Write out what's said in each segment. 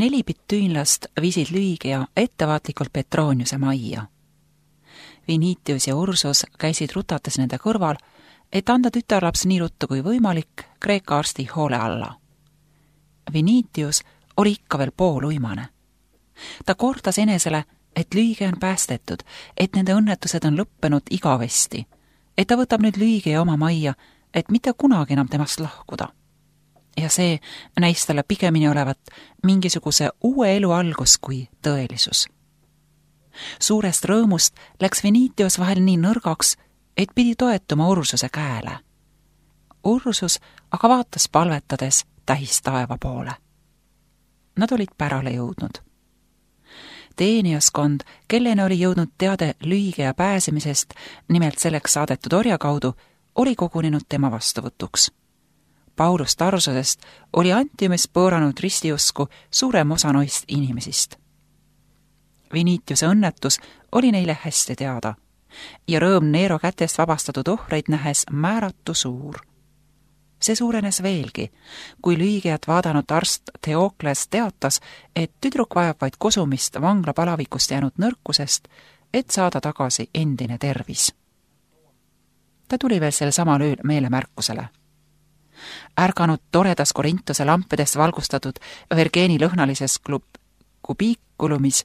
4 bitüünlast viisid Lüügia ettevaatlikult Petroniuse majja. Vinitius ja Ursus käisid rutates nende kõrval, et anda tütarlaps nii ruttu kui võimalik Kreeka arsti hoole alla. Vinitius oli ikka veel pooluimane. Ta kordas enesele, et Lüügia on päästetud, et nende õnnetused on lõppenud igavesti, et ta võtab nüüd Lüügia oma majja, et mitte kunagi enam temast lahkuda. Ja see näis talle pigemini olevat mingisuguse uue elu algus kui tõelisus. Suurest rõõmust läks Vinitius vahel nii nõrgaks, et pidi toetuma Ursuse käele. Ursus aga vaatas palvetades tähis taeva poole. Nad olid pärale jõudnud. Teeniaskond, kelleni oli jõudnud teade Lüügia pääsemisest, nimelt selleks saadetud orja kaudu, oli kogunenud tema vastuvõtuks. Paulus Tarsusest oli Antiumis pööranud ristiusku suurem osa noist inimesist. Vinitiuse õnnetus oli neile hästi teada ja rõõm Neero kätest vabastatud ohreid nähes määratu suur. See suurenes veelgi, kui Lüügiat vaadanud arst Theokles teatas, et tüdruk vajab vaid kosumist vangla palavikust jäänud nõrkusest, et saada tagasi endine tervis. Ta tuli veel sel samal ööl meelemärkusele. Ärganud toredas Korintuse lampedest valgustatud Vergeeni lõhnalises kubiikulumis,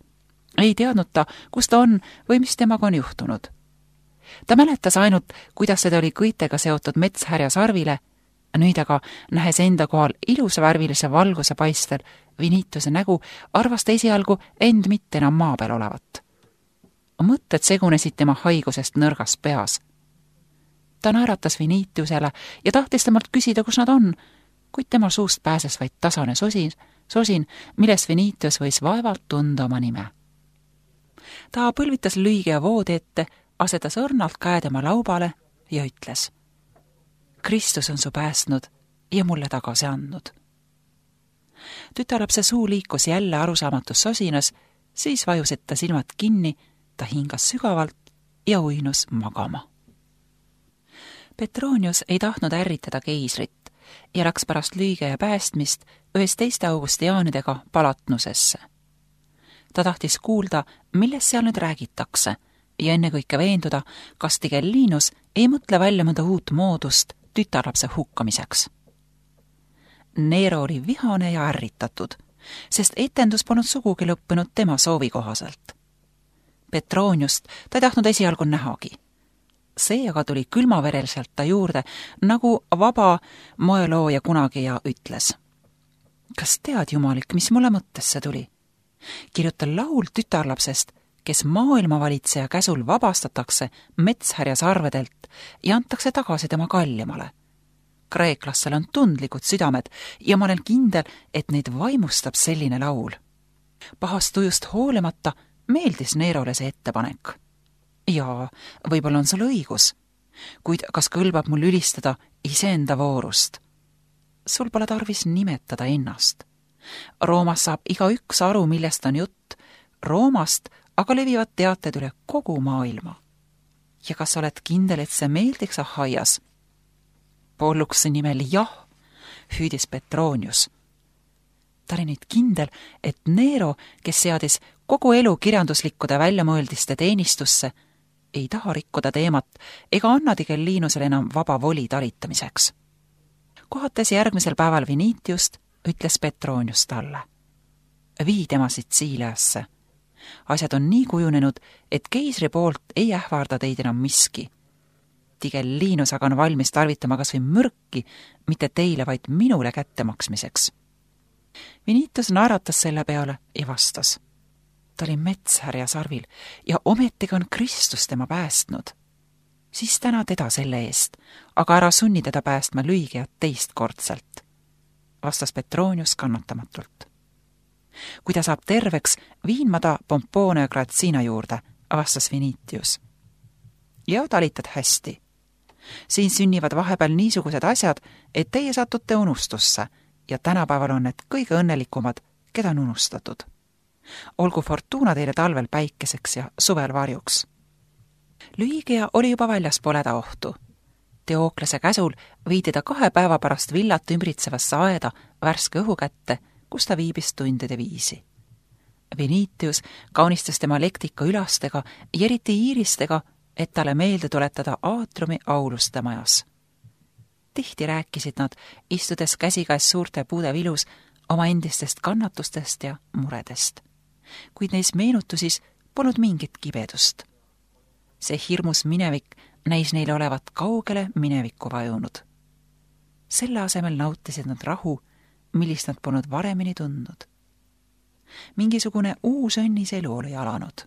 ei teadnud ta, kus ta on või mis temaga on juhtunud. Ta mäletas ainult, kuidas seda oli kõitega seotud metshärja sarvile, nüüd aga, nähes enda kohal ilusavärvilise valguse paistel Vinitiuse nägu, arvas ta esialgu end mitte enam maa peal olevat. Mõtted segunesid tema haigusest nõrgas peas. Ta naeratas Vinitiusele ja tahtis temalt küsida, kus nad on, kuid tema suust pääses vaid tasane sosin, millest Vinitius võis vaevalt tunda oma nime. Ta põlvitas Lüügia voodi ette, asetas õrnalt käe tema laubale ja ütles: Kristus on su päästnud ja mulle tagasi andnud. Tütarlapse suu liikus jälle arusaamatus sosinas, siis vajusid ta silmad kinni, ta hingas sügavalt ja uinus magama. Petronius ei tahtnud ärritada keisrit ja läks pärast Lüügia päästmist 11 augustiaanidega Palatnusesse. Ta tahtis kuulda, millest seal nüüd räägitakse ja ennekõike veenduda, kas Tigellinus ei mõtle välja mõnda uut moodust tütarlapse hukkamiseks. Neero oli vihane ja ärritatud, sest etendus polnud sugugi lõppenud tema soovi kohaselt. Petroniust ta ei tahtnud esialgu nähagi. See aga tuli külmavereliselt ta juurde, nagu vaba moelooja kunagi ja ütles: Kas tead, Jumalik, mis mulle mõttesse tuli? Kirjuta laul tütarlapsest, kes maailmavalitseja käsul vabastatakse metshärja sarvedelt ja antakse tagasi tema kallimale. Kreeklastel on tundlikud südamed ja ma olen kindel, et neid vaimustab selline laul. Pahast tujust hoolimata meeldis Neerole see ettepanek. Jaa, võib-olla on sul õigus, kuid kas kõlbab mul ülistada iseenda voorust? Sul pole tarvis nimetada ennast. Roomas saab igaüks aru, millest on jutt. Roomast aga levivad teated üle kogu maailma. Ja kas oled kindel, et see meeldiks Ahaias? Polluksi nimel jah, hüüdis Petronius. Ta oli nüüd kindel, et Neero, kes seadis kogu elu kirjanduslikkude väljamõeldiste teenistusse, ei taha rikkuda teemat ega anna Tigellinusele enam vaba voli talitamiseks. Kohates järgmisel päeval Vinitiust, ütles Petronius talle: Vii tema Sitsiiliasse. Asjad on nii kujunenud, et keisri poolt ei ähvarda teid enam miski. Tigellinus aga on valmis tarvitama kas või mürki, mitte teile, vaid minule kättemaksmiseks. Vinitius naeratas selle peale ja vastas: Ta oli metshärja sarvil ja ometigi on Kristus tema päästnud. Siis täna teda selle eest, aga ära sunni teda päästma Lüügiat teistkordselt, vastas Petronius kannatamatult. Kui ta saab terveks, viin ma ta Pompoone ja Gratsina juurde, vastas Vinitius. Ja talitad hästi. Siin sünnivad vahepeal niisugused asjad, et teie satute unustusse ja tänapäeval on need kõige õnnelikumad, keda on unustatud. Olgu fortuuna teile talvel päikeseks ja suvel varjuks. Lüügia oli juba väljaspool hädaohtu. Theoklese käsul viidi ta 2 päeva pärast villat ümbritsevasse aeda värske õhu kätte, kus ta viibis tundide viisi. Vinitius kaunistas tema lektika ülastega ja eriti iiristega, et talle meelde tuletada aatriumi auluste majas. Tihti rääkisid nad, istudes käsikäes suurte puude vilus, oma endistest kannatustest ja muredest. Kuid neis meenutusis polnud mingit kibedust. See hirmus minevik näis neile olevat kaugele minevikku vajunud. Selle asemel nautisid nad rahu, millist nad polnud varemini tundnud. Mingisugune uus õnnis elu oli alanud.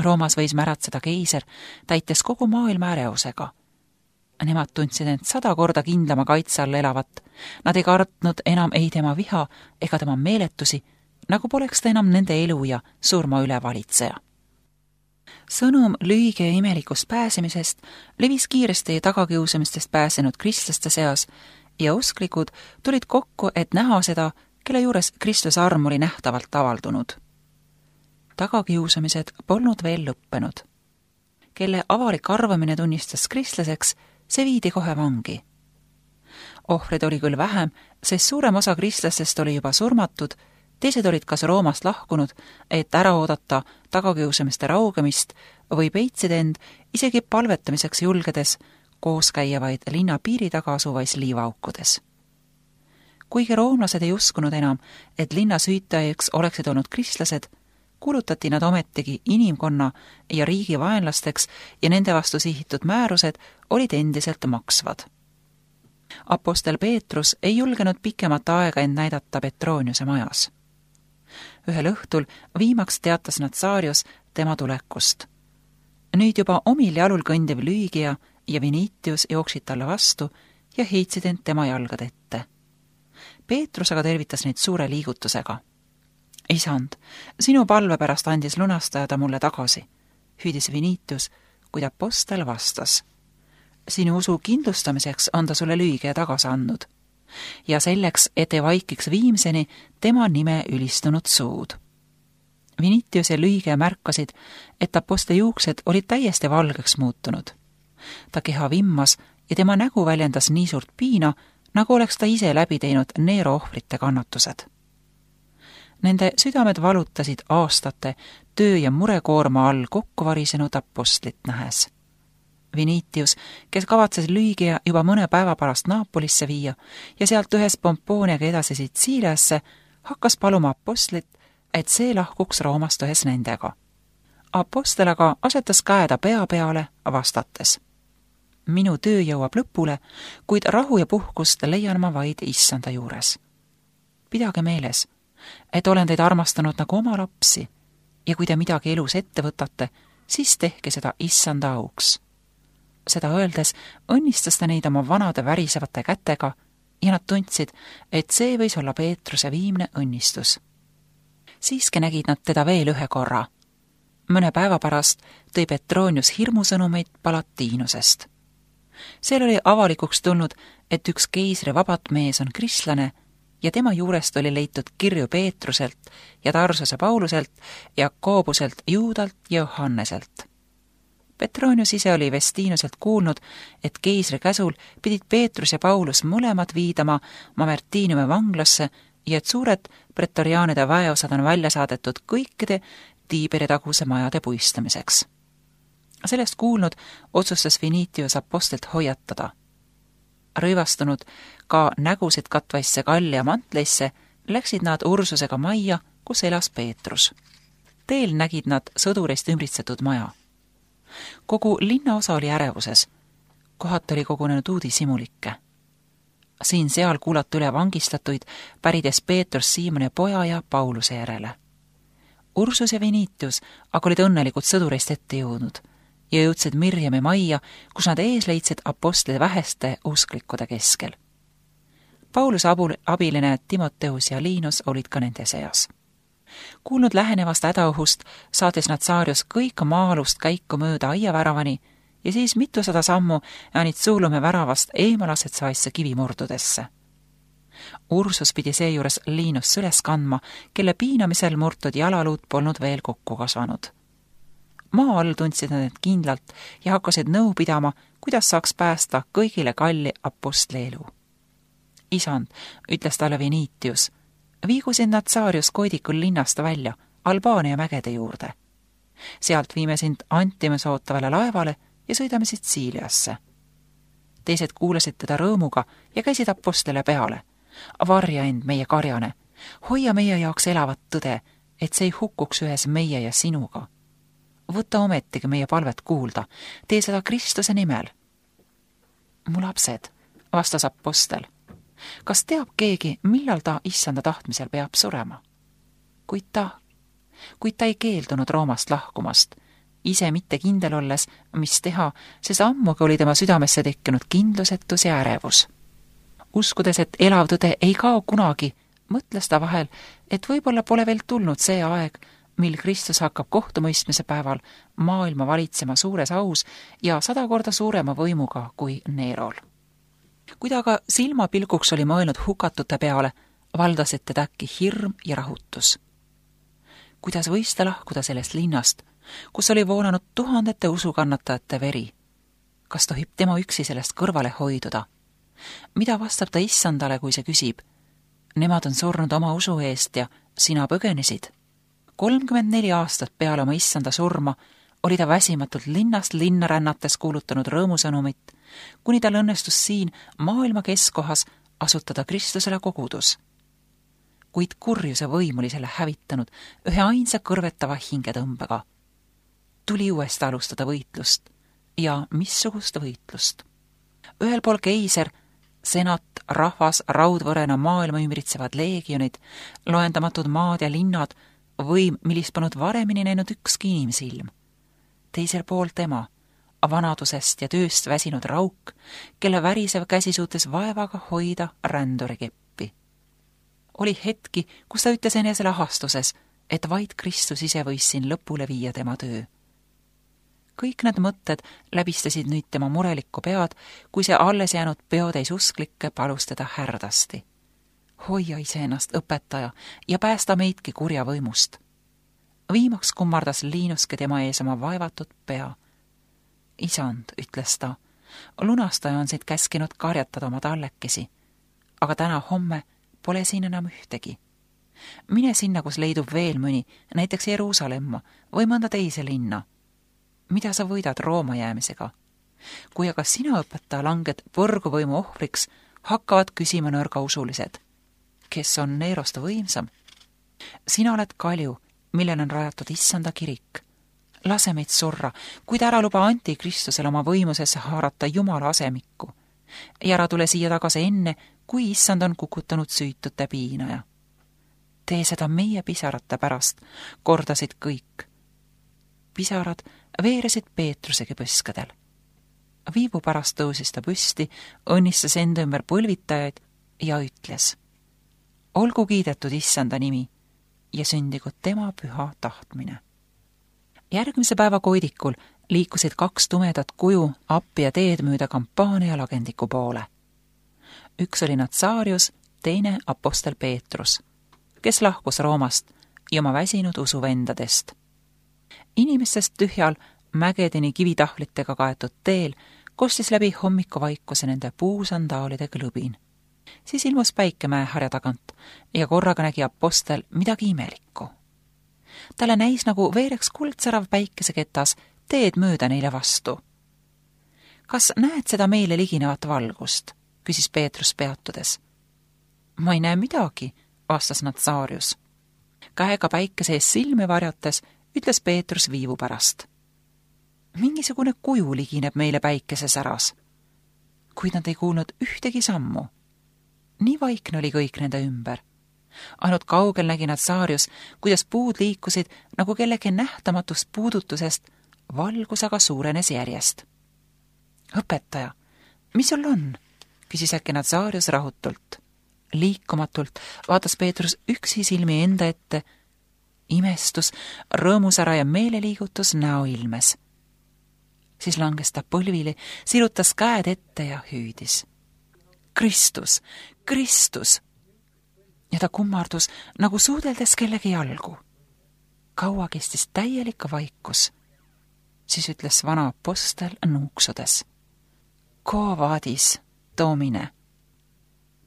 Roomas võis märatseda keiser, täites kogu maailma ärevusega. Nemad tundsid end 100 korda kindlama kaitse all elavat. Nad ei kartnud enam ei tema viha ega tema meeletusi, nagu poleks ta enam nende elu ja surma üle valitseja. Sõnum lühige ja imelikust pääsemisest levis kiiresti tagakiusamistest pääsenud kristlaste seas ja usklikud tulid kokku, et näha seda, kelle juures Kristuse arm oli nähtavalt avaldunud. Tagakiusamised polnud veel lõppenud. Kelle avalik arvamine tunnistas kristlaseks, see viidi kohe vangi. Ohvrid oli küll vähem, sest suurem osa kristlastest oli juba surmatud, teised olid kas Roomast lahkunud, et ära oodata tagakiusamiste raugemist või peitsid end isegi palvetamiseks julgedes koos käiavaid linna piiri taga asuvais liivaaukudes. Kuigi roomlased ei uskunud enam, et linna süütajaks oleksid olnud kristlased, kuulutati nad ometigi inimkonna ja riigi vaenlasteks ja nende vastu sihitud määrused olid endiselt maksvad. Apostel Peetrus ei julgenud pikemat aega end näidata Petroniuse majas. Ühel õhtul viimaks teatas Natsaarius tema tulekust. Nüüd juba omil jalul kõndiv Lüügia ja Vinitius jooksid talle vastu ja heitsid end tema jalgade ette. Peetrus aga tervitas neid suure liigutusega. Isand, sinu palve pärast andis lunastaja ta mulle tagasi, hüüdis Vinitius, kuid apostel vastas. Sinu usu kindlustamiseks on ta sulle Lüügia tagasi andnud ja selleks, et ei vaikiks viimseni tema nime ülistunud suud. Vinitius ja Lüügia märkasid, et apostli juuksed olid täiesti valgeks muutunud. Ta keha vimmas ja tema nägu väljendas nii suurt piina, nagu oleks ta ise läbi teinud Neero ohvrite kannatused. Nende südamed valutasid aastate töö ja murekoorma all kokku varisenud apostlit nähes. Vinitius, kes kavatses Lüügia juba mõne päeva pärast Naapolisse viia ja sealt ühes Pompooniaga edasi Sitsiiliasse, hakkas paluma apostlit, et see lahkuks Roomast ühes nendega. Apostel aga asetas käe ta pea peale vastates. Minu töö jõuab lõpule, kuid rahu ja puhkust leian ma vaid issanda juures. Pidage meeles, et olen teid armastanud nagu oma lapsi ja kui te midagi elus ette võtate, siis tehke seda issanda auks. Seda öeldes õnnistas ta neid oma vanade värisevate kätega ja nad tundsid, et see võis olla Peetruse viimne õnnistus. Siiski nägid nad teda veel ühe korra. Mõne päeva pärast tõi Petronius hirmusõnumeid Palatiinusest. Seal oli avalikuks tulnud, et üks keisri vabat mees on kristlane ja tema juurest oli leitud kirju Peetruselt ja Tarsuse Pauluselt, Jakoobuselt, Juudalt ja Johanneselt. Petronius ise oli Vestiinuselt kuulnud, et keisri käsul pidid Peetrus ja Paulus mõlemad viidama Mamertiiniumi vanglasse ja et suured pretoriaanide väeosad on välja saadetud kõikide Tiiberi taguse majade puistamiseks. Sellest kuulnud otsustas Vinitius apostlit hoiatada. Rõivastunud ka nägusid katvaisse kalli ja mantleisse läksid nad Ursusega majja, kus elas Peetrus. Teel nägid nad sõdurist ümbritsetud maja. Kogu linnaosa oli ärevuses. Kohati oli kogunenud uudishimulikke. Siin-seal kuulati üle vangistatuid, pärides Peetrus Siimoni poja ja Pauluse järele. Ursus ja Vinitius aga olid õnnelikud sõdurist ette jõudnud ja jõudsid Mirjami majja, kus nad ees leidsid apostli väheste usklikkude keskel. Pauluse abiline Timoteus ja Liinus olid ka nende seas. Kuulnud lähenevast hädaohust saatis Natsaarius kõik maa-alust käiku mööda aiaväravani ja siis mitusada sammu Janitsuulume väravast eemalasetsavaisse kivimurdudesse. Ursus pidi seejuures Liinus süles kandma, kelle piinamisel murtud jalaluud polnud veel kokku kasvanud. Maa all tundsid nad end kindlalt ja hakkasid nõu pidama, kuidas saaks päästa kõigile kalli apostli elu. Isand, ütles talle Vinitius, Viigusid Natsaarius koidikul linnast välja Albaania mägede juurde. Sealt viime sind Antimes ootavale laevale ja sõidame Sitsiiliasse. Teised kuulasid teda rõõmuga ja käisid apostele peale. Varja end, meie karjane, hoia meie jaoks elavat tõde, et see ei hukkuks ühes meie ja sinuga. Võta ometigi meie palvet kuulda, tee seda Kristuse nimel. Mu lapsed, vastas apostel, kas teab keegi, millal ta issanda tahtmisel peab surema? Kuid ta ei keeldunud Roomast lahkumast, ise mitte kindel olles, mis teha, sest ammugi oli tema südamesse tekkinud kindlusetus ja ärevus. Uskudes, et elav tõde ei kao kunagi, mõtles ta vahel, et võib-olla pole veel tulnud see aeg, mil Kristus hakkab kohtumõistmise päeval maailma valitsema suures aus ja 100 korda suurema võimuga kui Neerol. Kui ta aga silmapilguks oli mõelnud hukatute peale, valdasid teda äkki hirm ja rahutus. Kuidas võis ta lahkuda sellest linnast, kus oli voolanud tuhandete usukannatajate veri? Kas tohib tema üksi sellest kõrvale hoiduda? Mida vastab ta issandale, kui see küsib? Nemad on surnud oma usu eest ja sina põgenesid. 34 aastat peale oma issanda surma oli ta väsimatult linnast linna rännates kuulutanud rõõmusõnumit, kuni tal õnnestus siin maailma keskkohas asutada Kristusele kogudus. Kuid kurjuse võim oli selle hävitanud ühe ainsa kõrvetava hingetõmbega. Tuli uuesti alustada võitlust ja missugust võitlust. Ühel pool keiser, senat, rahvas, raudvõrena maailma ümbritsevad leegionid, loendamatud maad ja linnad, võim, millist polnud varemini näinud ükski inimsilm. Teisel pool tema, vanadusest ja tööst väsinud rauk, kelle värisev käsi suutis vaevaga hoida rändurikeppi. Oli hetki, kus ta ütles enesele ahastuses, et vaid Kristus ise võis siin lõpule viia tema töö. Kõik need mõtted läbistasid nüüd tema murelikku pead, kui see alles jäänud peotäis usklikke palus teda härdasti. Hoia iseennast, õpetaja, ja päästa meidki kurja võimust. Viimaks kummardas Liinuske tema ees oma vaevatud pea. Isand, ütles ta, lunastaja on siit käskinud karjatada oma tallekesi, aga täna homme pole siin enam ühtegi. Mine sinna, kus leidub veel mõni, näiteks Jeruusalemma või mõnda teise linna. Mida sa võidad Rooma jäämisega? Kui aga sina, õpetaja, langed põrguvõimu ohvriks, hakkavad küsima nõrgausulised. Kes on Neerost võimsam? Sina oled kalju, millel on rajatud issanda kirik. Lase meid surra, kuid ära luba antikristusel oma võimusesse haarata Jumala asemikku. Ja ära tule siia tagasi enne, kui issand on kukutanud süütute piinaja. Tee seda meie pisarate pärast, kordasid kõik. Pisarad veeresid Peetrusegi põskadel. Viivu pärast tõusis ta püsti, õnnistas enda ümber põlvitajaid ja ütles: olgu kiidetud issanda nimi ja sündigu tema püha tahtmine. Järgmise päeva koidikul liikusid 2 tumedat kuju appi ja teed mööda kampaania lagendiku poole. Üks oli Natsaarius, teine apostel Peetrus, kes lahkus Roomast ja oma väsinud usuvendadest. Inimestest tühjal mägedeni kivitahlitega kaetud teel kostis läbi hommikuvaikuse nende puusandaalide klõbin. Siis ilmus päike mäeharja tagant ja korraga nägi apostel midagi imelikku. Talle näis, nagu veereks kuldsärav päikeseketas teed mööda neile vastu. Kas näed seda meile liginevat valgust? Küsis Peetrus peatudes. Ma ei näe midagi, vastas Natsaarius. Käega päikese ees silmi varjates ütles Peetrus viivu pärast. Mingisugune kuju ligineb meile päikese säras. Kuid nad ei kuulnud ühtegi sammu. Nii vaikne oli kõik nende ümber. Ainult kaugel nägi Natsaarius, kuidas puud liikusid nagu kellegi nähtamatust puudutusest, valgus aga suurenes järjest. Õpetaja, mis sul on? Küsis äkki Natsaarius rahutult. Liikumatult vaatas Peetrus üksi silmi enda ette. Imestus, rõõmusära ja meeleliigutus näo ilmes. Siis langes ta põlvili, sirutas käed ette ja hüüdis. Kristus, Kristus! Ja ta kummardus nagu suudeldes kellegi jalgu. Kaua kestis täielik vaikus. Siis ütles vana apostel nuuksudes. Quo vadis, domine?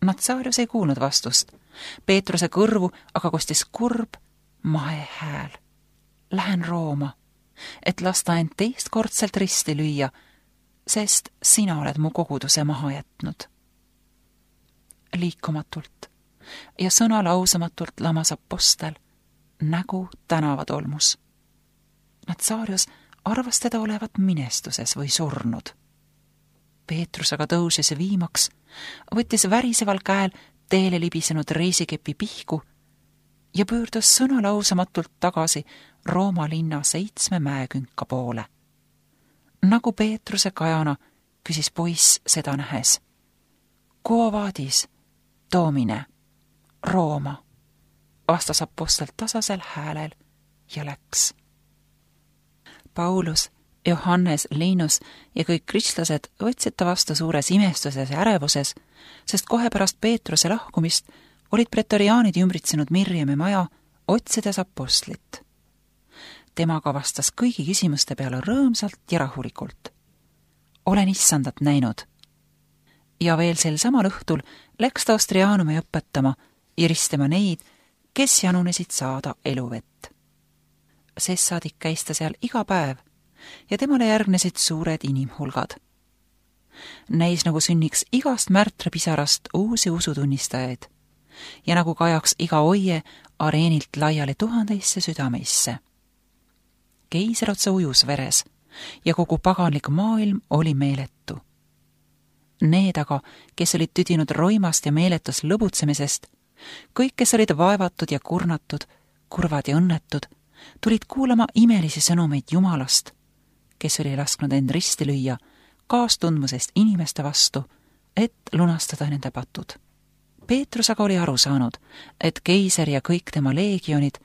Natsaarius ei kuulnud vastust, Peetruse kõrvu aga kostis kurb mahe hääl. Lähen Rooma, et lasta end teistkordselt risti lüüa, sest sina oled mu koguduse maha jätnud. Liikumatult ja sõnalausamatult lamas apostel, nägu tänavatolmus. Natsaarius arvas teda olevat minestuses või surnud. Peetrus aga tõusis viimaks, võttis väriseval käel teele libisenud reisikepi pihku ja pöördus sõnalausamatult tagasi Rooma linna 7 mäekünka poole. Nagu Peetruse kajana küsis poiss seda nähes. Quo vadis, Domine, Rooma, vastas apostel tasasel häälel ja läks. Paulus, Johannes, Linus ja kõik kristlased võtsid ta vastu suures imestuses ja ärevuses, sest kohe pärast Peetruse lahkumist olid pretoriaanid ümbritsenud Mirjami maja, otsides apostlit. Temaga vastas kõigi küsimuste peale rõõmsalt ja rahulikult. Olen issandat näinud. Ja veel sel samal õhtul läks ta Ostrianumi õpetama ja ristema neid, kes janunesid saada eluvett. Sest saadik käis ta seal iga päev ja temale järgnesid suured inimhulgad. Näis nagu sünniks igast märtrepisarast uusi usutunnistajaid ja nagu kajaks iga oie areenilt laiali 1000 südameisse. Keiser otsa ujus veres ja kogu paganlik maailm oli meeletu. Need aga, kes olid tüdinud roimast ja meeletus lõbutsemisest, kõik, kes olid vaevatud ja kurnatud, kurvad ja õnnetud, tulid kuulama imelisi sõnumeid Jumalast, kes oli lasknud end risti lüüa kaastundmusest inimeste vastu, et lunastada nende patud. Peetrus aga oli aru saanud, et keiser ja kõik tema leegionid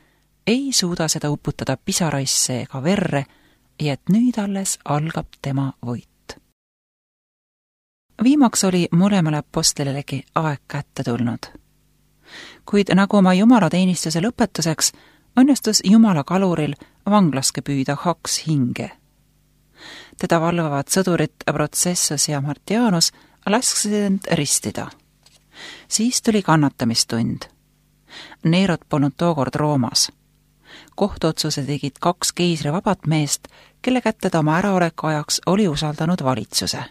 ei suuda seda uputada pisaraisse ega verre ja et nüüd alles algab tema võit. Viimaks oli mõlemale apostlilegi aeg kätte tulnud. Kuid nagu oma jumalateenistuse lõpetuseks õnnestus Jumala kaluril vanglaske püüda 2 hinge. Teda valvavad sõdurid Protsessus ja Martianus lasksid end ristida. Siis tuli kannatamistund. Neerot polnud tookord Roomas. Kohtuotsuse tegid 2 keisri vabat meest, kelle kätte ta oma äraoleku ajaks oli usaldanud valitsuse.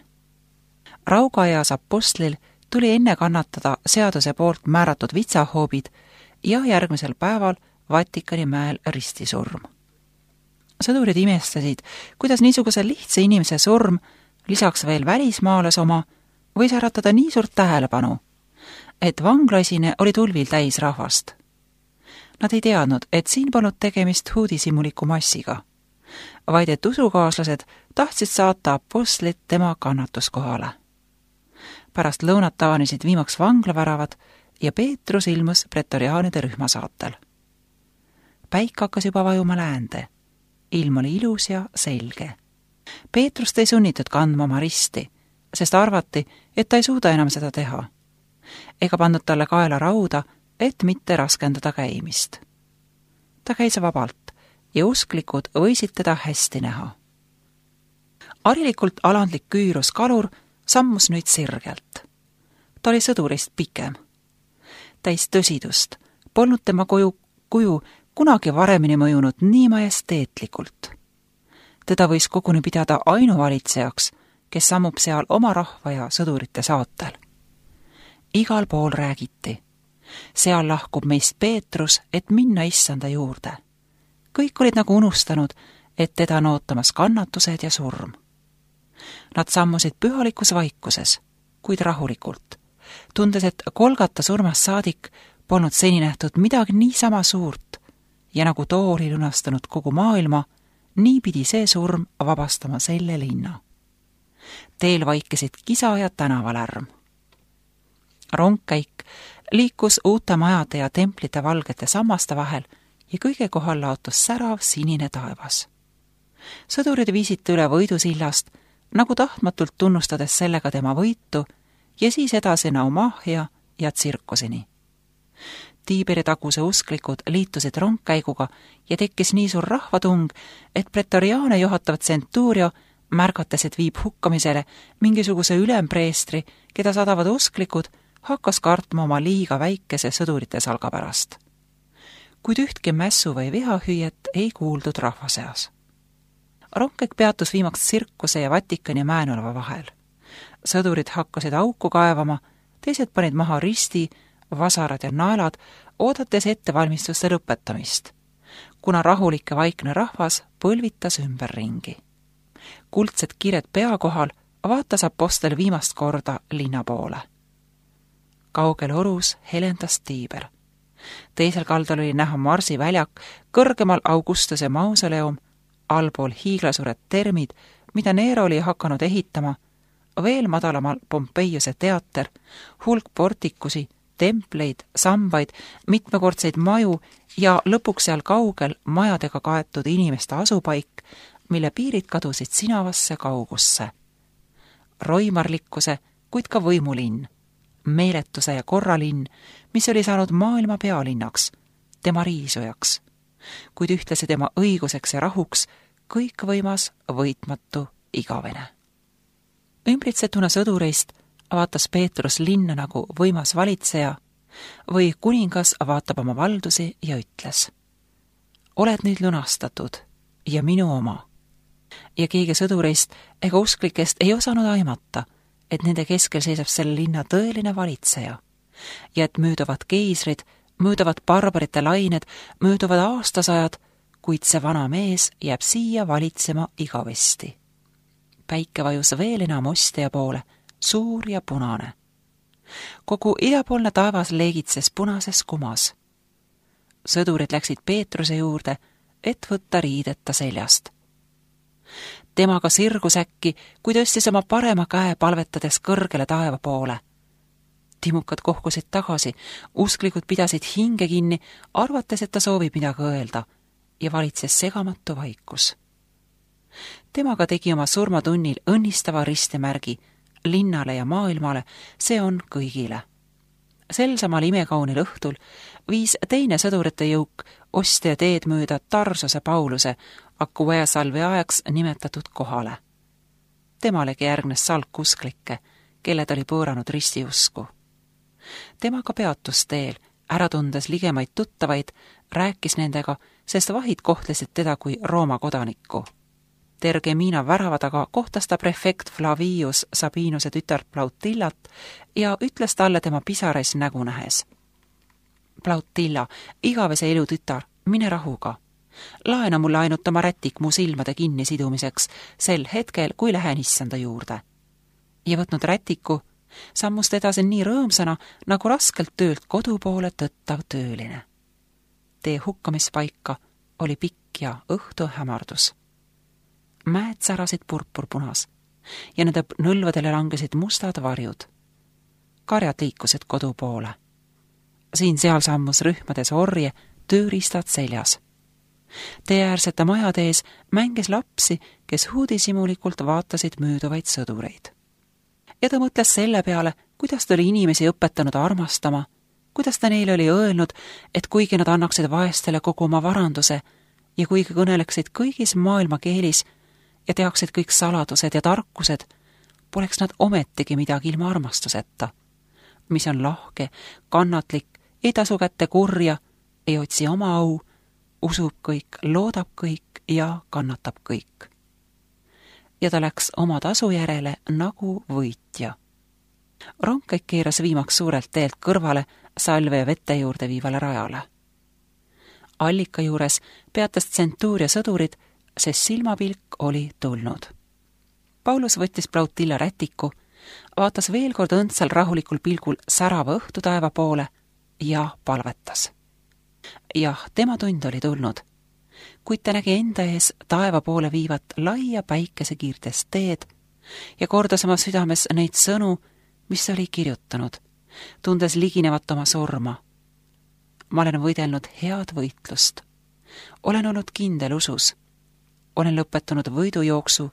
Raugaeas apostlil tuli enne kannatada seaduse poolt määratud vitsahoobid ja järgmisel päeval Vatikani mäel ristisurm. Sõdurid imestasid, kuidas niisuguse lihtsa inimese surm, lisaks veel välismaales oma, võis äratada nii suurt tähelepanu, et vanglaisine oli tulvil täis rahvast. Nad ei teadnud, et siin polnud tegemist huudisimuliku massiga, vaid et usukaaslased tahtsid saata apostlit tema kannatuskohale. Pärast lõunat avanisid viimaks vanglaväravad ja Peetrus ilmus pretoriaanide rühmasaatel. Päik hakkas juba vajuma läände. Ilm oli ilus ja selge. Peetrust ei sunnitud kandma oma risti, sest arvati, et ta ei suuda enam seda teha. Ega pandud talle kaela rauda, et mitte raskendada käimist. Ta käis vabalt ja usklikud võisid teda hästi näha. Arilikult alandlik küürus kalur sammus nüüd sirgelt. Ta oli sõdurist pikem. Täis tõsidust, polnud tema kuju kunagi varemini mõjunud nii majesteetlikult. Teda võis koguni pidada ainuvalitsejaks, kes sammub seal oma rahva ja sõdurite saatel. Igal pool räägiti. Seal lahkub meist Peetrus, et minna issanda juurde. Kõik olid nagu unustanud, et teda on ootamas kannatused ja surm. Nad sammusid pühalikus vaikuses, kuid rahulikult, tundes, et Golgata surmast saadik polnud seni nähtud midagi niisama suurt ja nagu too oli lunastanud kogu maailma, nii pidi see surm vabastama selle linna. Teel vaikisid kisa ja tänavalärm. Rongkäik liikus uute majade ja templite valgete sammaste vahel ja kõige kohal laotus särav sinine taevas. Sõdurid viisid üle võidusillast, nagu tahtmatult tunnustades sellega tema võitu ja siis edasi Naumahia ja Tsirkuseni. Tiiberi taguse usklikud liitusid rongkäiguga ja tekkis nii suur rahvatung, et pretoriaane juhatavat centurio märgates, et viib hukkamisele mingisuguse ülempreestri, keda sadavad usklikud, hakkas kartma oma liiga väikese sõdurite salga pärast. Kuid ühtki mässu või vihahüüet ei kuuldud rahva seas. Rongkäik peatus viimaks tsirkuse ja Vatikani mäenõlva vahel. Sõdurid hakkasid auku kaevama, teised panid maha risti, vasarad ja naelad, oodates ettevalmistuste lõpetamist, kuna rahulik ja vaikne rahvas põlvitas ümberringi. Kuldsed kired pea kohal vaatas apostel viimast korda linna poole. Kaugel orus helendas tiiber. Teisel kaldal oli näha Marsi väljak, kõrgemal Augustuse mausoleum, allpool hiiglasuured termid, mida Nero oli hakanud ehitama, veel madalamal Pompeiuse teater, hulk portikusi, templeid, sambaid, mitmekordseid maju ja lõpuks seal kaugel majadega kaetud inimeste asupaik, mille piirid kadusid sinavasse kaugusse. Roimarlikkuse, kuid ka võimulinn, meeletuse ja korralinn, mis oli saanud maailma pealinnaks, tema riisujaks, kuid ühtlasi tema õiguseks ja rahuks kõikvõimas, võitmatu, igavene. Ümbritsetuna sõdureist vaatas Peetrus linna nagu võimas valitseja või kuningas vaatab oma valdusi ja ütles: oled nüüd lunastatud ja minu oma. Ja keegi sõdureist ega usklikest ei osanud aimata, et nende keskel seisab selle linna tõeline valitseja ja et mööduvad keisrid, mööduvad barbarite lained, mööduvad aastasajad, kuid see vana mees jääb siia valitsema igavesti. Päike vajus veel enam ostja poole, suur ja punane. Kogu idapoolne taevas leegitses punases kumas. Sõdurid läksid Peetruse juurde, et võtta riideta seljast. Temaga sirgus äkki, kui tõstis oma parema käe palvetades kõrgele taeva poole. Timukad kohkusid tagasi, usklikud pidasid hinge kinni, arvates, et ta soovib midagi öelda, ja valitses segamatu vaikus. Temaga tegi oma surmatunnil õnnistava ristimärgi linnale ja maailmale, see on kõigile. Sel samal imekaunil õhtul viis teine sõdurite jõuk ostja teed mööda Tarsose Pauluse Aquae salvi ajaks nimetatud kohale. Temalegi järgnes salk usklikke, kelled oli pööranud ristiusku. Temaga peatus teel, ära tundes ligemaid tuttavaid, rääkis nendega, sest vahid kohtlesid teda kui Rooma kodanikku. Tergemina värava taga kohtas ta prefekt Flavius Sabinuse tütart Plautillat ja ütles talle tema pisarais nägu nähes: Plautilla, igavese elu tütar, mine rahuga. Laena mulle ainult oma rätik mu silmade kinni sidumiseks sel hetkel, kui lähen issanda juurde. Ja võtnud rätiku, sammust edasi nii rõõmsana, nagu raskelt töölt kodu poole tõttav tööline. Tee hukkamispaika oli pikk ja õhtu hämardus. Mäed särasid purpurpunas ja nende nõlvadele langesid mustad varjud. Karjad liikusid kodu poole. Siin-seal sammus rühmades orje, tööriistad seljas. Teeäärsete majade ees mängis lapsi, kes huudisimulikult vaatasid mööduvaid sõdureid. Ja ta mõtles selle peale, kuidas ta oli inimesi õpetanud armastama, kuidas ta neile oli öelnud, et kuigi nad annaksid vaestele kogu oma varanduse ja kuigi kõneleksid kõigis maailma keelis ja teaksid kõik saladused ja tarkused, poleks nad ometigi midagi ilma armastuseta, mis on lahke, kannatlik, ei tasu kätte kurja, ei otsi oma au, usub kõik, loodab kõik ja kannatab kõik. Ja ta läks oma tasu järele nagu võitja. Rongkäik keeras viimaks suurelt teelt kõrvale salve ja vete juurde viivale rajale. Allika juures peatas tsentuuria sõdurid, sest silmapilk oli tulnud. Paulus võttis Plautilla rätiku, vaatas veel kord õndsal rahulikul pilgul särava õhtutaeva poole ja palvetas. Jah, tema tund oli tulnud, kuid ta nägi enda ees taeva poole viivat laia päikesekiirtest teed ja kordas oma südames neid sõnu, mis oli kirjutanud, tundes liginevat oma surma. Ma olen võidelnud head võitlust. Olen olnud kindel usus. Olen lõpetanud võidujooksu.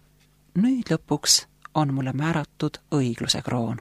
Nüüd lõpuks on mulle määratud õigluse kroon.